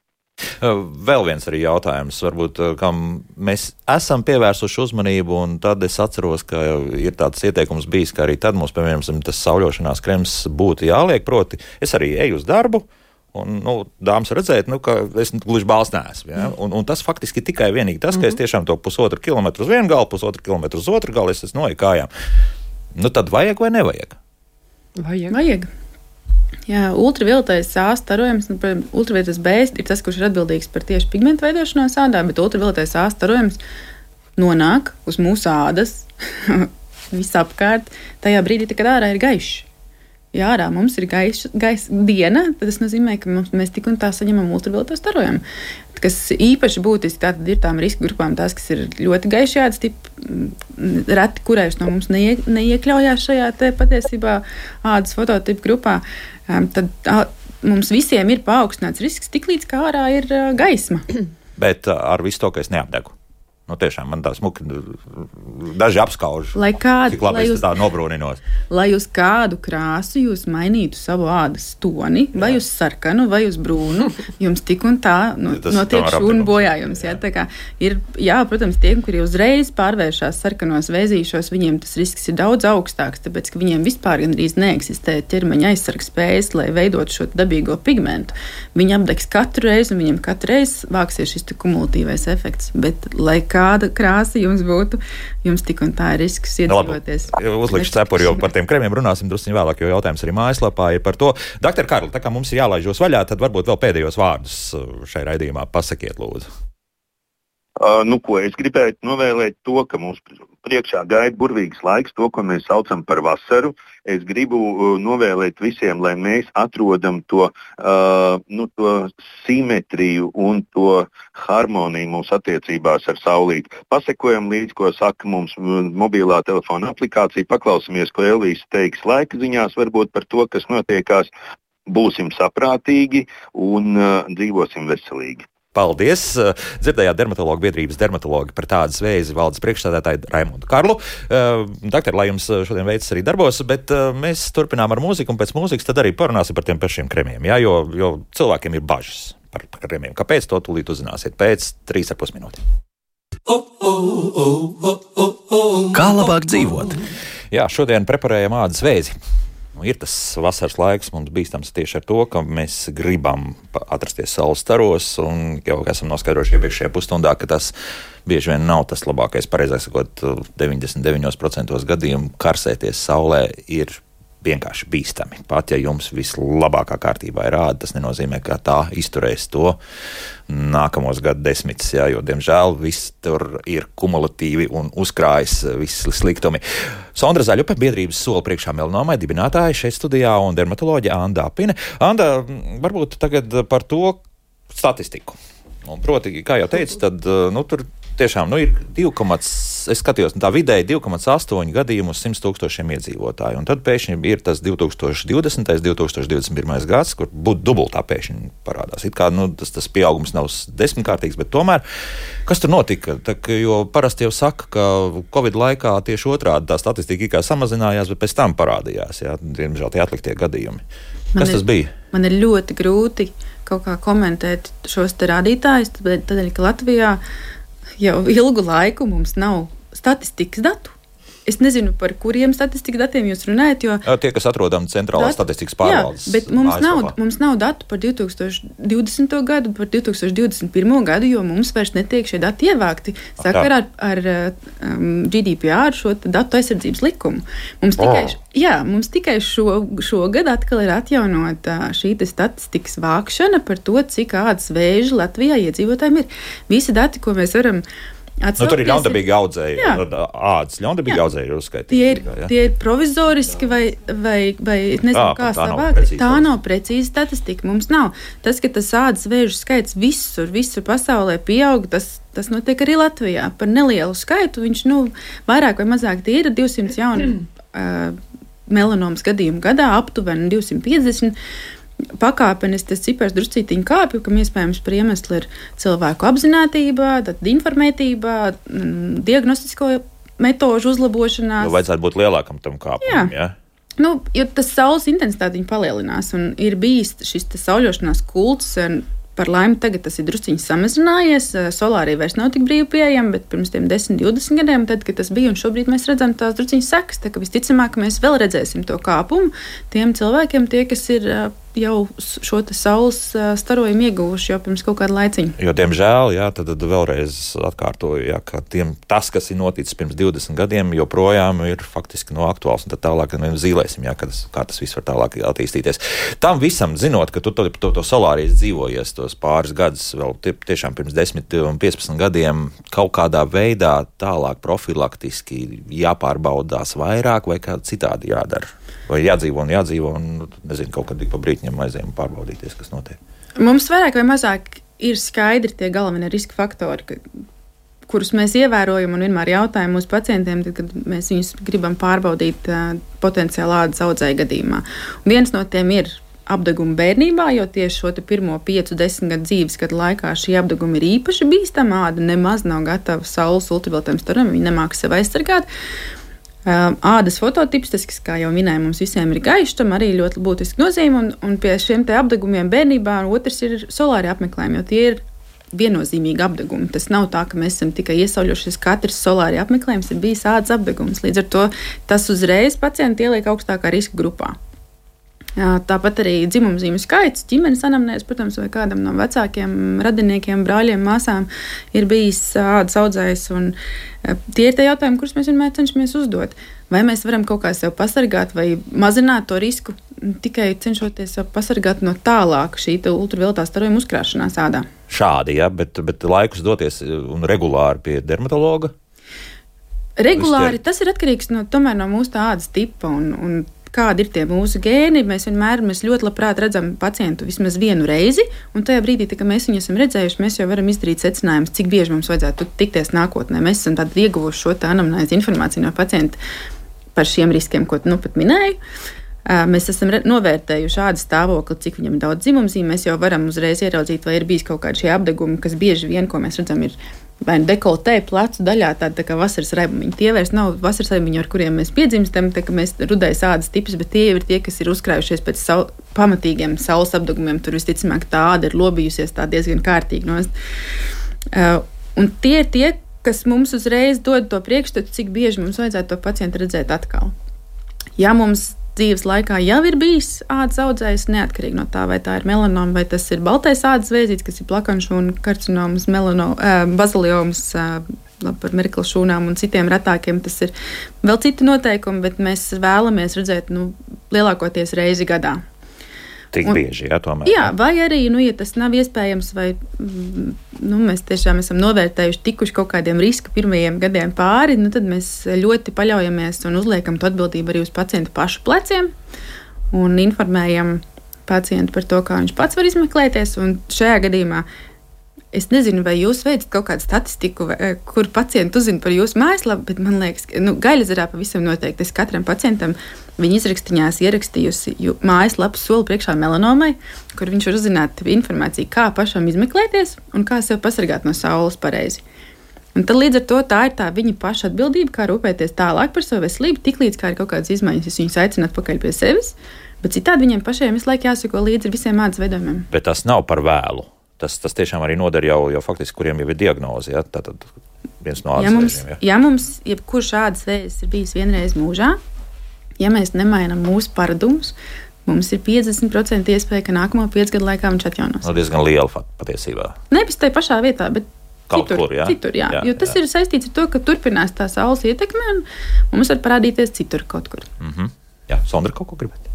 Vēl viens arī jautājums, varbūt, kam mēs esam pievērsuši uzmanību, un tad es atceros, ka ir tāds ieteikums bijis, ka arī tad mums, piemēram, tas sauļošanās krems būtu jāliek, proti, es arī eju uz darbu, un, nu, dāmas redzēt, nu, ka es gluži bāls neesmu. Ja? Un, un tas faktiski tikai vienīgi tas, ka mm-hmm. es tiešām to pusotru kilometru uz vienu galu, pusotru kilometru uz otru galu, es esmu noeju kājām. Nu, tad vajag vai nevajag? Vajag. Vajag. Jā, ultravioletais A starojums, nu, ultravioletais B ir tas, kurš ir atbildīgs par tieši pigmentu veidošanos ādā, bet ultravioletais A starojums nonāk uz mūsu ādas visapkārt tajā brīdī, kad ārā ir gaišs. Ja ārā mums ir gaisa gais, diena, tad tas nozīmē, ka mums, mēs tik un tā saņemam ultravioleto starojumu. Kas īpaši būtiski tātad ir tām riska grupām tās, kas ir ļoti gaiši ādas tipi, reti kurējuši no mums neie, neiekļaujās šajā te patiesībā ādas fototipu grupā, tad ā, mums visiem ir paaugstināts risks tik līdz kā ārā ir gaisma. Bet ar visu to, ka es neapdegu. Nu, tiešām man tā smuki daži apskauž, lai kād, cik labi es jūs, tā nobrūninos. Lai uz kādu krāsu jūs mainītu savu ādas toni, vai jā. Uz sarkanu, vai uz brūnu, jums tik un tā nu, ja notiek šūnu bojājums. Jā. Jā, tā kā ir, jā, protams, tie, kuri uzreiz pārvēršās sarkanos vēzīšos, viņiem tas risks ir daudz augstāks, tāpēc, ka viņiem vispār gandrīz neeksistē ķermeņa aizsargs spējas, lai veidot šo dabīgo pigmentu. Viņi apdegs katru reizi, un viņiem katru reizi vāksies šis kumulatīvais efekts. Bet, lai kāda krāsa jums būtu, jums tik un tā ir risks iedzīvoties. No, uzlikšu cepuri, jo par tiem kremiem runāsim drusciņ vēlāk, jo jautājums arī mājaslapā ir par to. Doktor Karli, tā kā mums ir jālaiž jūs vaļā, tad varbūt vēl pēdējos vārdus šai raidījumā pasakiet, lūdzu. Uh, nu, ko es gribētu novēlēt to, ka mums priekšā gaida burvīgs laiks, to, ko mēs saucam par vasaru. Es gribu uh, novēlēt visiem, lai mēs atrodam to, uh, nu, to simetriju un to harmoniju mūsu attiecībās ar saulīti. Pasekojam līdz, ko saka mums mobilā telefona aplikācija, paklausamies, ko Elvijas teiks laika ziņās, varbūt par to, kas notiekās. Būsim saprātīgi un uh, dzīvosim veselīgi. Paldies! Dzirdējāt dermatologu biedrības dermatologi par tādas vēzi valdes priekšstādātāju Raimondu Karlu. Uh, doktor, lai jums šodien veids arī darbos, bet uh, mēs turpinām ar mūziku, un pēc mūzikas tad arī parunāsim par tiem pašiem kremiem, jā, jo, jo cilvēkiem ir bažas par kremiem. Kāpēc, to tūlīt uzzināsiet pēc trīs ar pus minūtēm. Kā labāk dzīvot? Jā, šodien preparējam ādas vēzi. Ir tas vasaras laiks mums bīstams tieši ar to, ka mēs gribam atrasties saules staros, un jau esam noskaidrojuši iepriekšējā pusstundā, ka tas bieži vien nav tas labākais. Pareizāk sakot, deviņdesmit deviņos procentos gadījumu karsēties saulē ir vienkārši bīstami. Pat ja jums vislabākā kārtībā ir āda, tas nenozīmē, ka tā izturēs to nākamos gadu desmitus, jā, jo, diemžēl, viss tur ir kumulatīvi un uzkrājas visi sliktumi. Sondra Zaļupe, biedrības Soli priekšā melanomai dibinātāja šeit studijā, un dermatoloģija Anda Apine. Anda, varbūt tagad par to statistiku. Un, proti, kā jau teicu, tad, nu, tur tiešām, nu, ir divi, es skatījos, tā vidēji divi komats astoņi gadījumu uz simts tūkstošiem iedzīvotāju. Un tad pēkšņi ir tas divi tūkstoši divdesmitais, divi tūkstoši divdesmit pirmais gads, kur būtu dubultā pēkšņi parādās. It kā, nu, tas, tas pieaugums nav desmitkārtīgs, bet tomēr, kas tur notika? Tā, jo parasti jau saka, ka Covid laikā tieši otrādi tā statistika kā samazinājās, bet pēc tam parādījās, jā, diemžēl tie atliktie gadījumi. Kas man tas ir, bija? Man ir ļoti grūti kaut kā komentēt šos te rādītājus, tādēļ, ka Latvijā jau ilgu laiku mums nav statistikas datu. Es nezinu, par kuriem statistikas datiem jūs runājat, jo... Tie, kas atrodam centrālā datu, statistikas pārvaldes. Jā, bet mums nav, mums nav datu par divi tūkstoši divdesmito gadu, par divi tūkstoši divdesmit pirmo gadu, jo mums vairs netiek šie dati ievākti sakarā ar, ar um, G D P R, šo datu aizsardzības likumu. Mums tikai, oh. jā, mums tikai šo, šogad atkal ir atjaunota šī statistikas vākšana par to, cik ādas vēži Latvijā iedzīvotājiem ir. Visi dati, ko mēs varam atsaukties, nu, tur ir ļaundabīgi audzēji, ādas ļaundabīgi audzēji ir uzskaitīti. Tie ir, jā. tie ir provizoriski vai, vai, vai nezinu, tā, kā savāk. Tā nav precīza statistika. Mums nav. Tas, ka tas ādas vēžu skaits visur, visur pasaulē pieaug, tas, tas notiek arī Latvijā. Par nelielu skaitu viņš, nu, vairāk vai mazāk tie ir divsimt jauni uh, melanomas gadījumu gadā, aptuveni divsimt piecdesmit. Pakāpenis tas cipars druscītiņ kāpju, kam iespējams par iemeslu ir cilvēku apzinātība, tad informētība, diagnostisko metožu uzlabošanās. Nu, vajadzētu būt lielākam tam kāpumam, jā? jā? Nu, jo tas saules intensitāte palielinās un ir bijis šis sauļošanās kults. Par laimi tagad tas ir drusciņš samazinājies, solārija vairs nav tik brīvi pieejama, bet pirms tiem desmit, divdesmit gadiem, tad, kad tas bija, un šobrīd mēs redzam tās drusciņas sekas, tā ka visticamāk mēs vēl redzēsim to kāpumu tiem cilvēkiem, tie, kas ir jau šo te saules starojumu ieguvuši jau pirms kaut kāda laiciņa. Jo, diemžēl, jā, tad, tad vēlreiz atkārtoju, jā, ka tiem, tas, kas ir noticis pirms divdesmit gadiem, joprojām ir faktiski no aktuāls, un tad tālāk mēs zīlēsim, jā, kā tas, kā tas viss var tālāk attīstīties. Tam visam, zinot, ka tu to, to, to solārijas dzīvojies tos pāris gadus, vēl tie, tiešām pirms desmit un piecpadsmit gadiem, kaut kādā veidā tālāk profilaktiski jāpārbaudās vairāk vai kā citādi jādara. Vai jādzīvo un jādzīvo un, nezinu, kaut kad pa brītņiem aizējām pārbaudīties, kas notiek. Mums vairāk vai mazāk ir skaidri tie galvenie riska faktori, ka, kurus mēs ievērojam un vienmēr jautājam mūsu pacientiem, tad, kad mēs viņus gribam pārbaudīt uh, potenciāli ādas audzēju gadījumā. Un viens no tiem ir apdegumu bērnībā, jo tieši šo pirmo piecu, desmit gadu dzīves gadu laikā šī apdeguma ir īpaši bīstama. Āda nemaz nav gatava saules ultravioletiem staram, viņa nemāk sev aizsargāt. Ādas fototips, tas, kas, kā jau minēja, mums visiem ir gaišs, tam arī ļoti būtiski nozīme, un, un pie šiem te apdegumiem bērnībā otrs ir solāri apmeklējumi, jo tie ir viennozīmīgi apdegumi. Tas nav tā, ka mēs esam tikai iesauļojušies, katrs solāri apmeklējums ir bijis ādas apdegums. Līdz ar to tas uzreiz pacienti ieliek augstākā riska grupā. Tāpat arī dzimumzīmju skaits, ģimenes anamnēs, protams, vai kādam no vecākiem radiniekiem, brāļiem, māsām ir bijis ādas audzējs. Un tie ir tie jautājumi, kurus mēs vienmēr cenšamies uzdot. Vai mēs varam kaut kā sev pasargāt vai mazināt to risku, tikai cenšoties sev pasargāt no tālāk šī ultravioletā starojuma uzkrāšanās ādā. Šādi, ja, bet, bet laikus doties un regulāri pie dermatologa? Regulāri, tas ir atkarīgs no, tomēr no mūsu tā ādas tipa un, un kādi ir tie mūsu gēni. Mēs vienmēr, mēs ļoti labprāt redzam pacientu vismaz vienu reizi, un tajā brīdī, kad mēs viņu esam redzējuši, mēs jau varam izdarīt secinājumus, cik bieži mums vajadzētu tikties nākotnē. Mēs esam tad ieguvuši šo tā anamnēzi informāciju no pacienta par šiem riskiem, ko nu pat minēju. Mēs esam novērtējuši šādu stāvokli, cik viņam ir daudz dzimumzīmju. Mēs jau varam uzreiz ieraudzīt, vai ir bijis kaut kādi šie apdegumi, kas bieži vien, ko mēs redzam, ir vai nu dekoltē, plecu daļā, tāda tā kā vasaras raibumiņi. Tie vairs nav vasaras raibumiņi, ar kuriem mēs piedzimstam, tā kā mēs rudais ādas tips, bet tie ir tie, kas ir uzkrājušies pēc sau, pamatīgiem saules apdegumiem. Tur visticamāk tā āda ir lobījusies tā diezgan kārtīgi nost. Uh, un tie ir tie, kas mums uzreiz dod to priekšstatu, cik bieži mums vajadzētu to pacientu redzēt atkal. Ja mums dzīves laikā jau ir bijis ādas audzējs, neatkarīgi no tā, vai tā ir melanoma, vai tas ir baltais ādas vēzīts, kas ir plakanšūna karcinomas, melano, uh, baziliomas, uh, par merkelšūnām un citiem retākiem. Tas ir vēl citi noteikumi, bet mēs vēlamies redzēt nu, lielākoties reizi gadā. Tik un, bieži, jā, tomēr. Jā, vai arī, nu, ja tas nav iespējams, vai nu, mēs tiešām esam novērtējuši tikuši kaut kādiem riska pirmajiem gadiem pāri, nu, tad mēs ļoti paļaujamies un uzliekam to atbildību arī uz pacientu pašu pleciem un informējam pacientu par to, kā viņš pats var izmeklēties. Un šajā gadījumā es nezinu, vai jūs veicat kaut kādu statistiku, vai, kur pacienti uzzina par jūsu mājaslapu, bet man liekas, ka nu, Gaļazarā pavisam noteikti. Es katram pacientam viņa izrakstiņās ierakstījusi mājaslapu soli priekšā melanomai, kur viņš var uzzināt informāciju, kā pašam izmeklēties un kā sev pasargāt no saules pareizi. Un tad līdz ar to tā ir tā viņa paša atbildība, kā rūpēties tālāk par savu veselību, tik līdz kā ir kaut kādas izmaiņas, es viņus aicinu atpakaļ pie sevis, bet citādi viņiem pašiem visu laiku jāsako līdzi visiem ādas veidojumiem. Bet tas nav par vēlu. Tas, tas tiešām arī noder jau, jau faktiski, kuriem jau ir diagnoze. Ja? Tātad viens no ādas ja mums, vēžiem. Ja, ja mums jebkurš ādas vēzis ir bijis vienreiz mūžā, ja mēs nemainām mūsu paradumus, mums ir piecdesmit procenti iespēja, ka nākamo piecu gadu laikā viņš atjaunos. No diezgan liela patiesībā. Nevis tajā pašā vietā, bet kaut citur, kur, jā. citur jā. Jā, jo tas jā. ir saistīts ar to, ka turpinās tā saules ietekme un mums var parādīties citur kaut kur. Mm-hmm. Jā, Sondra, kaut ko gribēt?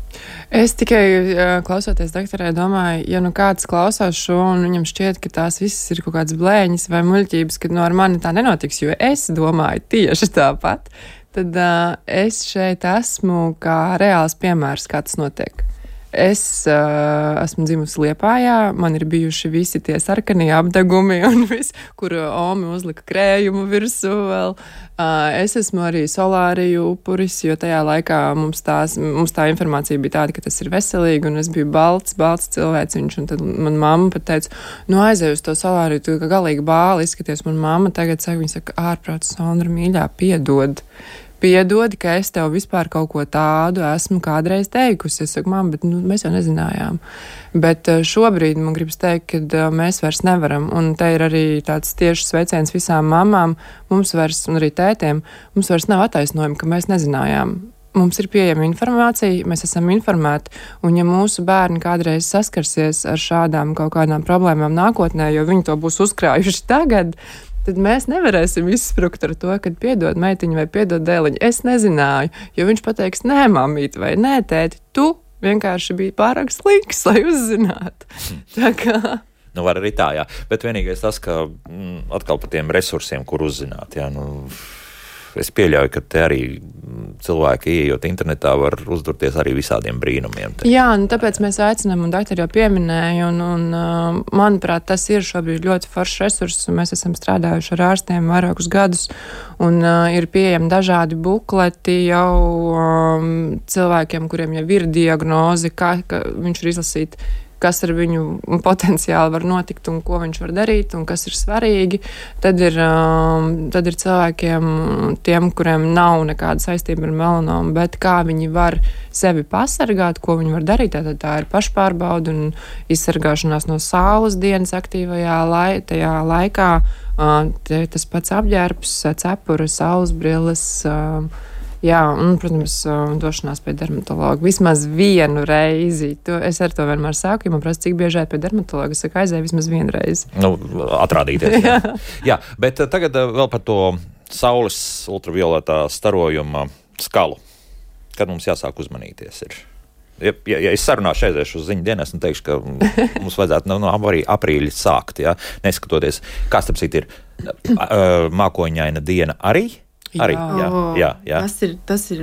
Es tikai klausoties doktorē domāju, ja nu kāds klausās šo un viņam šķiet, ka tās visas ir kaut kādas blēņas vai muļķības, ka no ar mani tā nenotiks, jo es domāju tieši tāpat, tad uh, es šeit esmu kā reāls piemērs, kā tas notiek. Es uh, esmu dzimusi Liepājā, man ir bijuši visi tie sarkanie apdegumi un viss, kur Omi uzlika krējumu virsū vēl. Uh, es esmu arī solāriju upuris, jo tajā laikā mums, tās, mums tā informācija bija tāda, ka tas ir veselīgi, un es biju balts, balts cilvēciņš, un tad man mamma pat teica, nu aizēju uz to solāriju, tu kā galīgi bāli izskaties. Man mamma tagad saka, viņa saka, ārprāt, Sondra, mīļā, piedod. Piedod, ka es tev vispār kaut ko tādu esmu kādreiz teikusi. Es saku, mamma, bet nu, mēs jau nezinājām. Bet šobrīd man gribas teikt, ka mēs vairs nevaram. Un te ir arī tāds tieši sveiciens visām mamām, mums vairs, un arī tētiem, mums vairs nav attaisnojumi, ka mēs nezinājām. Mums ir pieejama informācija, mēs esam informēti, un ja mūsu bērni kādreiz saskarsies ar šādām kaut kādām problēmām nākotnē, jo viņi to būs uzkrājuši tagad, tad mēs nevarēsim izsprukt ar to, kad piedod meitiņu vai piedod dēliņu. Es nezināju, jo viņš pateiks, nē, mamīt, vai nē, tēti, tu vienkārši biji pārāk slinks, lai uzzinātu. Tā kā... Nu, var arī tā, jā. Bet vienīgais tas, ka mm, atkal par tiem resursiem, kur uzzināt, jā, nu... es pieļauju, ka te arī cilvēki, ieejot internetā, var uzdurties arī visādiem brīnumiem. Te. Jā, un tāpēc mēs aicinām, un doktori jau pieminēja, un, un manuprāt, tas ir šobrīd ļoti foršs resurss, un mēs esam strādājuši ar ārstiem vairākus gadus, un uh, ir pieejami dažādi bukleti jau um, cilvēkiem, kuriem jau ir diagnoze, kā, ka viņš ir izlasīt, kas ar viņu potenciāli var notikt un ko viņš var darīt un kas ir svarīgi. Tad ir, um, tad ir cilvēkiem, tiem, kuriem nav nekāda saistība ar melanomu, bet kā viņi var sevi pasargāt, ko viņi var darīt. Tātad tā ir pašpārbauda un izsargāšanās no saules dienas aktīvajā lai, tajā laikā. Uh, te, tas pats apģērbs, cepura, saules brilles. Uh, Jā, un, protams, došanās pie dermatologa vismaz vienu reizi. To, es ar to vienmēr sāku, ja man prasa, cik bieži ēt pie dermatologa. Es saku, aizēju vismaz vienu reizi. Nu, atrādīties. Jā. Jā, bet tagad vēl par to saules ultravioletā starojuma skalu. Kad mums jāsāk uzmanīties ir? Ja, ja, ja es sarunāšu aiziešu uz ziņu dienas un teikšu, ka mums vajadzētu no, no aprīļa sākt, jā, neskatoties, kā starp citu ir mākoņaina diena arī? Arī, jā, jā, jā. Tas ir, tas ir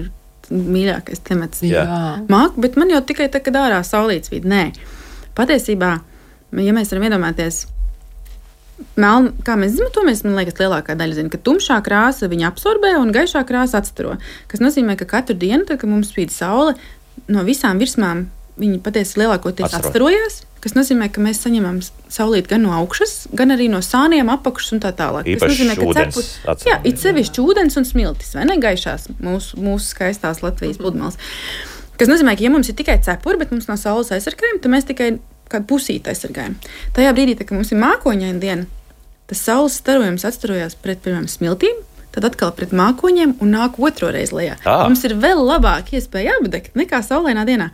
mīļākais temats. Jā. Māku, bet man jau tikai tā, kad ārā saulītes vīd. Nē. Patiesībā, ja mēs varam iedomāties, meln, kā mēs zinām, to mēs, man liekas, lielākā daļa zina, ka tumšā krāsa viņa absorbē un gaišā krāsa atstaro. Kas nozīmē, ka katru dienu, tad, kad mums spīd saule, no visām virsmām viņi patiesi lielākoties Atstaro. atstarojas. Kas nozīmē, ka mēs saņemam saulīti gan no augšas, gan arī no sāniem, apakšas un tā tālāk. Īpaši nozīmē, ūdens cepur, jā, it sevišķi ūdens un smiltis, vai ne gaišās mūsu, mūsu skaistās Latvijas pludmales. Kas nozīmē, ka ja mums ir tikai cepuri, bet mums nav saules aizsargājumi, tad mēs tikai kādu pusīti aizsargājam. Tajā brīdī, tā, kad mums ir mākoņaina diena, tas saules starojums atstarojās pret pirmām smiltīm, tad atkal pret mākoņiem un nāk otro reizi lejā. Ah. Mums ir vēl labāk iespēja apdegt nekā saulainā dienā.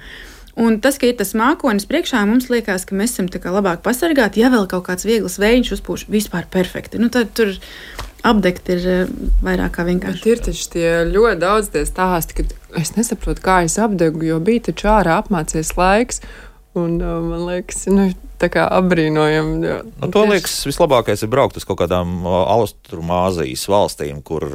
Un tas, ka ir tas mākonis priekšā, mums liekas, ka mēs esam tā kā labāk pasargāti, ja vēl kaut kāds viegls vējš uzpūš, vispār perfekti. Nu, tad tur apdegt ir vairāk kā vienkārši. Bet ir taču tie ļoti daudz tie stāsti, ka es nesaprotu, kā es apdegu, jo bija taču ārā apmācies laiks. Un man liekas, nu, tā kā apbrīnojam. Nu, to liekas, vislabākais ir braukt uz kaut kādām Austrumāzijas valstīm, kur,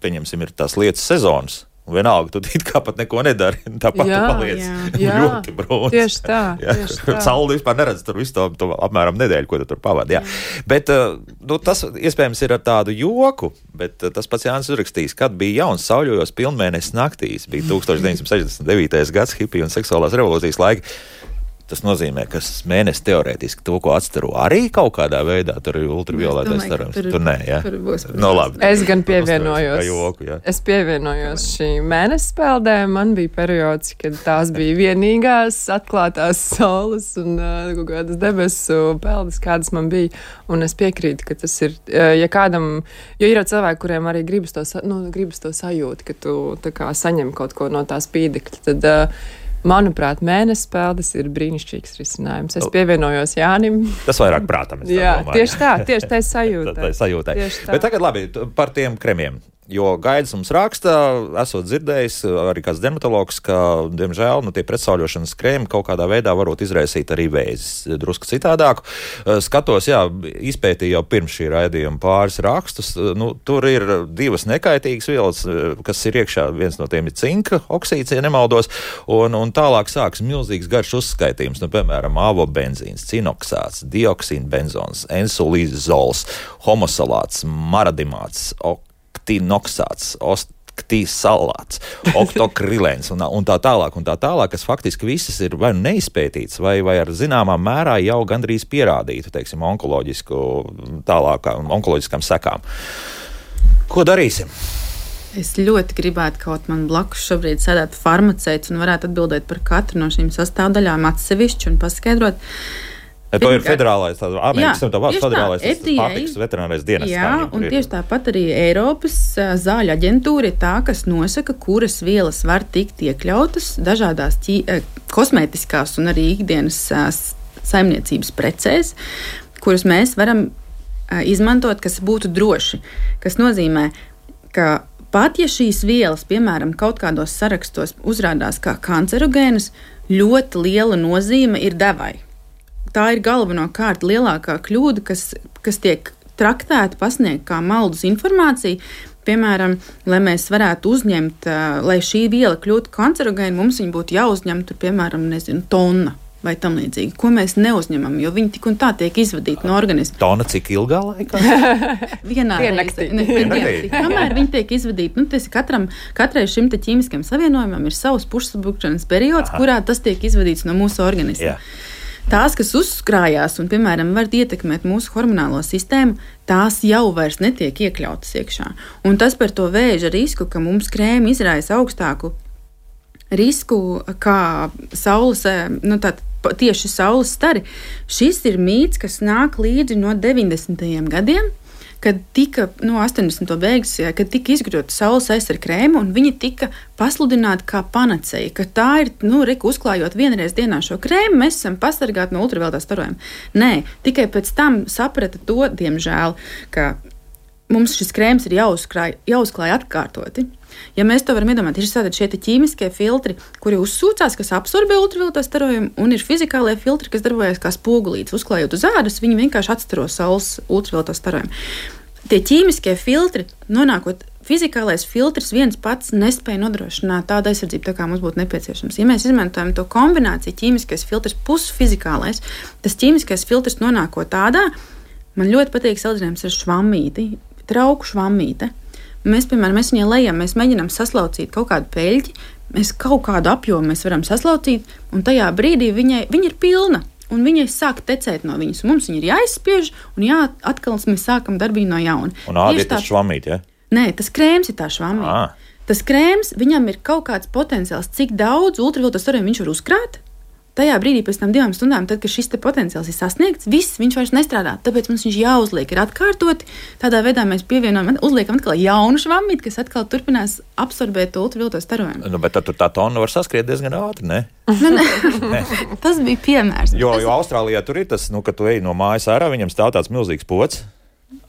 pieņemsim, ir tās lietas sezonas. Un vienalga, tu it kā pat neko nedari, tāpat Jā, tu paliec jā. ļoti brūns. Tieši tā, tieši tā. Sauli vispār neredz tur visu to, to apmēram nedēļu, ko tu tur pavadi. Jā. Bet nu, tas iespējams ir ar tādu joku, bet tas pats Jānis uzrakstīs, kad bija jauns sauļojos pilnmēnesis naktīs, bija tūkstoš deviņsimt sešdesmit devītais gads, hipiju un seksuālās revolūcijas laika. Tas nozīmē, ka mēnesis teorētiski to, ko atstaro arī kaut kādā veidā, tur ir ultravioletais starojums. Tur, tur nē, jā. Tur būs, no, labi. Es gan pievienojos. Joku, jā. Es pievienojos šī mēnesis peldēm. Man bija periods, kad tās bija vienīgās atklātās saules un uh, kaut kādas debesu peldes, kādas man bija. Un es piekrītu, ka tas ir, uh, ja kādam, jo ir cilvēki, kuriem arī gribas to, nu, gribas to sajūt, ka tu tā kā saņem kaut ko no tā spīdekļa, tad uh, manuprāt, mēnesis peldes ir brīnišķīgs risinājums. Es pievienojos Jānim. Tas vairāk prātam. Jā, tieši tā, tieši tā sajūta. Tā sajūta. Bet tagad labi par tiem kremiem. Jo Gaidis mums raksta, esot dzirdējis arī kāds dermatologs, ka, diemžēl, nu, tie pretsauļošanas krēmi kaut kādā veidā varot izraisīt arī vēzis. Drusku citādāku. Skatos, jā, izpētīju jau pirms šī raidījuma pāris rakstus. Nu, tur ir divas nekaitīgas vielas, kas ir iekšā. Viens no tiem ir cinka oksīds, ja nemaldos. Un, un tālāk sāks milzīgs garš uzskaitījums. Nu, piemēram, avobenzīns, cinoksāts, dioksīnbenzons, ensulīzols, homosalāts, maradimāts, oktinoksāts, oktīsalāts, oktokrilēns un, un tā tālāk, un tā tālāk, kas faktiski visas ir vai neizpētīts, vai, vai ar zināmā mērā jau gandrīz pierādītu, teiksim, onkoloģisku, tālākām, onkoloģiskām sekām. Ko darīsim? Es ļoti gribētu, kaut man blakus šobrīd sēdētu farmaceits un varētu atbildēt par katru no šīm sastāvdaļām atsevišķi un paskaidrot. To ir federālais, tā Amerikas Savienotās federālais pārtikas veterinārais dienests. Jā, un tieši tāpat arī Eiropas zāļu aģentūra ir tā, kas nosaka, kuras vielas var tikt iekļautas dažādās ķī, kosmētiskās un arī ikdienas saimniecības precēs, kuras mēs varam izmantot, kas būtu droši. Kas nozīmē, ka pat ja šīs vielas, piemēram, kaut kādos sarakstos uzrādās kā kancerogēnas, ļoti liela nozīme ir devai. Tā ir galvenokārt lielākā kļūda, kas, kas tiek traktēta, pasniegta kā maldus informācija. piemēram, lai mēs varētu uzņemt, lai šī viela kļūtu kancerogēna, mums viņa būtu jāuzņem, tur, piemēram, nezinu, tonna vai tam līdzīgi, ko mēs neuzņemam, jo viņi tik un tā tiek izvadīti no organisma. Tona cik ilgā laikā? Vienā reizē. Kamēr viņi tiek izvadīti, nu, tas katram, katrai šim te ķīmiskajam savienojumam ir savs pušsabukšanas periods, Aha. kurā tas tiek izvadīts no mūsu organisma. Jā. Tās, kas uzkrājās un, piemēram, var ietekmēt mūsu hormonālo sistēmu, tās jau vairs netiek iekļautas iekšā. Un tas par to vēža risku, ka mums krēmi izraisa augstāku risku kā saules, nu tā, tieši saules stari. Šis ir mīts, kas nāk līdzi no deviņdesmitajiem gadiem, kad tika, no astoņdesmito beigas, kad tika izgudrota saules aizsarga krēma, un viņi tika pasludināti kā panacēja, ka tā ir, nu, reku uzklājot vienreiz dienā šo krēmu, mēs esam pasargāti no ultravioletā starojuma. Nē, tikai pēc tam saprata to, diemžēl, ka mums šis krēms ir jāuzklāj, jāuzklāj atkārtoti. Ja mēs to varam iedomāt, ir tātad šie ķīmiskie filtri, kuri uzsūcās, kas absorbē ultravioleto starojumu, un ir fizikālie filtri, kas darbojas kā spogulītes. Uzklājot uz ādas, viņi vienkārši atstaro saules ultravioleto starojumu. Tie ķīmiskie filtri, nonākot, fizikālais filtrs viens pats nespēja nodrošināt tādu aizsardzību, tā kā mums būtu nepieciešams. Ja mēs izmantojam to kombināciju, ķīmiskais filtrs plus fizikālais, tas ķīmiskais filtrs nonākot tādā, man ļoti patīk salīdzinājums ar švammīti, trauku švammīte. Mēs, piemēram, mēs viņai lejam, mēs mēģinām saslaucīt kaut kādu peļķi, mēs kaut kādu apjomu mēs varam saslaucīt, un tajā brīdī viņai, viņa ir pilna, un viņai sāk tecēt no viņas, un mums viņa ir jāizspiež, un jā, atkal mēs sākam darbību no jauna. Un ādi ir tas švamīt, ja? Nē, tas krēms ir tā švamīt. À. Tas krēms, viņam ir kaut kāds potenciāls, cik daudz ultravioleto starojumu viņš var uzkrāt. Tajā brīdī pēc tam divām stundām, tad, kad šis te potenciāls ir sasniegts, viss viņš vairs nestrādā. Tāpēc mums viņš jāuzliek, ir atkārtoti. Tādā veidā mēs pievienojam, uzliekam atkal jaunu švammīti, kas atkal turpinās absorbēt ultravioleto starojumu. Nu, bet tad tā tonna var saskriet diezgan ātri, ne? Nu, ne. Tas bija piemērs. Jo, tas... jo Austrālijā tur ir tas, nu, ka tu ej no mājas ārā, viņam stāv tāds milzīgs pods.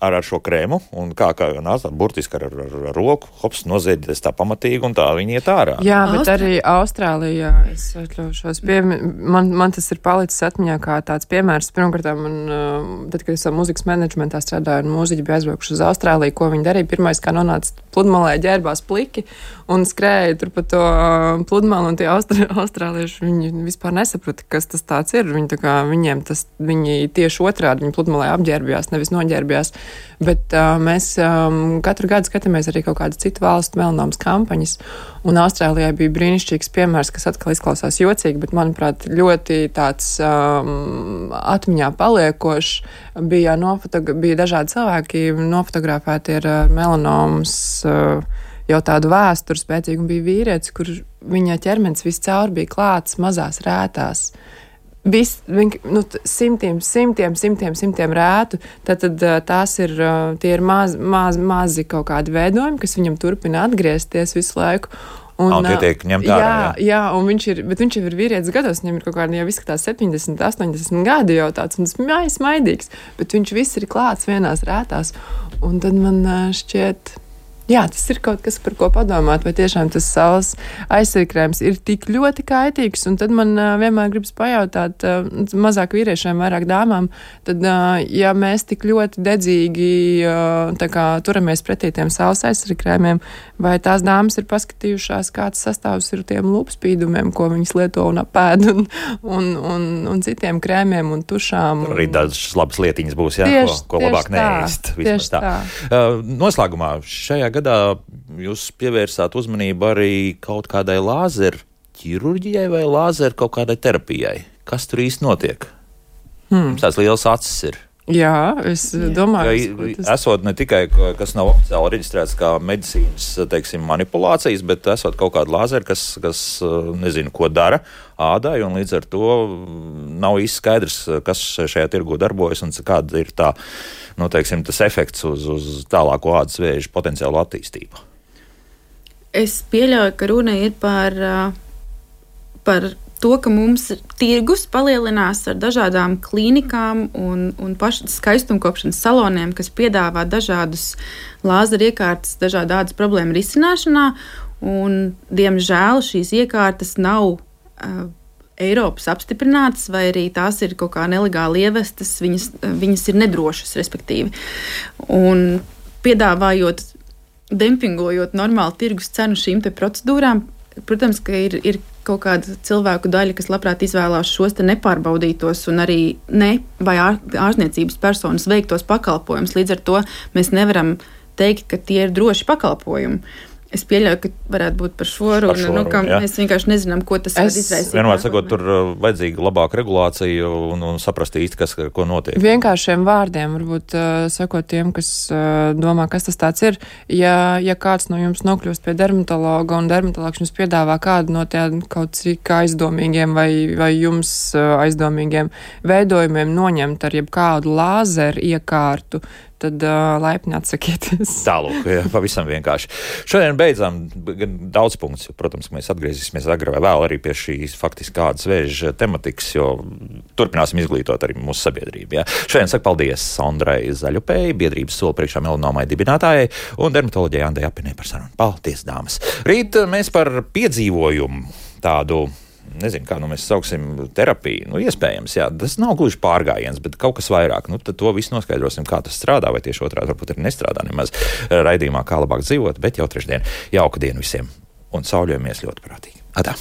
Ar, ar šo krēmu, un kā, kā jau nāca, burtiski ar, ar, ar roku, hops, noziedies tā pamatīgi, un tā viņi iet ārā. Jā, bet Austrā... arī Austrālijā, es atļaušos, pie, man, man tas ir palicis atmiņā kā tāds piemērs. Pirmkārt, man, tad, kad es savu mūzikas menedžmentā strādāju, un mūziķi bija aizbraukuši uz Austrāliju, ko viņi darīja, pirmais, kā nonāca pludmalē, ģērbās pliki, un skrēja tur pa to pludmalu, un tie austrā, austrālieši, viņi vispār nesaprata, kas tas tāds ir. Viņi, tā kā, viņiem tas, viņi tieši otrādi, viņi pludmalē apģērbjās, nevis noģērbjās. Bet uh, mēs um, katru gadu skatāmies arī kaut kādas citu valstu melanomas kampaņas, un Austrālijā bija brīnišķīgs piemērs, kas atkal izklausās jocīgi, bet, manuprāt, ļoti tāds um, atmiņā paliekošs. Bija, nofotogra- bija dažādi cilvēki nofotografēti ar melanomas uh, jau tādu vēsturi spēcīgu, un bija vīrietis, kur viņa ķermenis viscaur bija klāts mazās rētās. Vis, viņ, nu, simtiem, simtiem, simtiem, simtiem rētu, tad, tad tās ir, tie ir maz, maz, mazi kaut kādi veidojumi, kas viņam turpina atgriezties visu laiku. Un, un tie tiek ņemt ārā, jā, jā, un viņš ir, bet viņš jau ir vīrietis gados, viņam ir kaut kādi jau izskatās septiņdesmit, astoņdesmit gadi jau tāds, un tas mājas maidīgs, bet viņš viss ir klāts vienās rētās, un tad man šķiet... Jā, tas ir kaut kas, par ko padomāt, vai tiešām tas saules aizsargkrēms ir tik ļoti kaitīgs, un tad man uh, vienmēr gribas pajautāt, uh, mazāk vīriešiem, vairāk dāmām, tad, uh, ja mēs tik ļoti dedzīgi uh, tā kā turamies pretī tiem saules aizsargkrēmiem, vai tās dāmas ir paskatījušās, kāds sastāvs ir tiem lūpspīdumiem, ko viņas lieto un apēd, un, un, un, un citiem krēmiem un tušām. Tur arī dažas labas lietiņas būs, jā, tieši, ko, ko labāk neēst. Tieši tā. tā. Uh, noslēgumā šajā gadā jūs pievērsāt uzmanību arī kaut kādai lāzeru ķirurģijai vai lāzeru kaut kādai terapijai. Kas tur īsti notiek? Hmm. Jums tāds liels acis ir. Jā, es Jā. domāju. Ja, tas... Esot ne tikai, kas nav oficiāli reģistrēts kā medicīnas, teiksim, manipulācijas, bet esot kaut kāda lāzera, kas, kas nezinu, ko dara ādai, un līdz ar to nav īsti skaidrs, kas šajā tirgu darbojas un kāda ir tā, nu, teiksim, tas efekts uz, uz tālāko ādas vēža potenciālu attīstību. Es pieļauju, ka runa ir par, par to, ka mums tirgus palielinās ar dažādām klīnikām un, un pašu skaistumkopšanas saloniem, kas piedāvā dažādus lāzeru iekārtas, dažādu ādas problēmu risināšanā, un, diemžēl, šīs iekārtas nav uh, Eiropas apstiprinātas, vai arī tās ir kaut kā nelegāli ievestas, viņas, viņas ir nedrošas, respektīvi. Un piedāvājot dempingojot normālu tirgus cenu šīm te procedūrām. Protams, ka ir, ir kaut kāda cilvēku daļa, kas labprāt izvēlās šos te nepārbaudītos un arī ne vai ār, ārzniecības personas veiktos pakalpojumus. Līdz ar to mēs nevaram teikt, ka tie ir droši pakalpojumi. Es pieļauju, ka varētu būt par šo runu, šo nu, ka runu, mēs vienkārši nezinām, ko tas var izraisīt. Vienmēr sakot, tur vajadzīga labāka regulācija un, un saprast īsti, kas, ko notiek. Vienkāršiem vārdiem, varbūt uh, sakot tiem, kas uh, domā, kas tas tāds ir. Ja, ja kāds no jums nokļūst pie dermatologa un dermatologs jums piedāvā kādu no tiem kaut cik aizdomīgiem vai, vai jums uh, aizdomīgiem veidojumiem noņemt ar jebkādu lāzeru iekārtu, tad uh, laipni atsakieties. Tālūk, jā, pavisam vienkārši. Šodien beidzām daudz punktus, jo, protams, mēs atgriezīsimies agrāk vai vēl arī pie šīs faktiski kādas vēža tematikas, jo turpināsim izglītot arī mūsu sabiedrību. Jā. Šodien saku paldies Sondrai Zaļupei, biedrības Soli priekšā melanomai dibinātājai un dermatoloģijai Andai Apinē par sarunu. Paldies, dāmas! Rīt mēs par piedzīvojumu tādu, nezinu, kā nu mēs sauksim terapiju, nu iespējams, jā, tas nav gluži pārgājiens, bet kaut kas vairāk, nu tad to visu noskaidrosim, kā tas strādā, vai tieši otrādi varbūt arī nestrādā nemaz raidījumā, kā labāk dzīvot, bet jau trešdien jauka dienu visiem un sauļojamies ļoti prātīgi. Atā!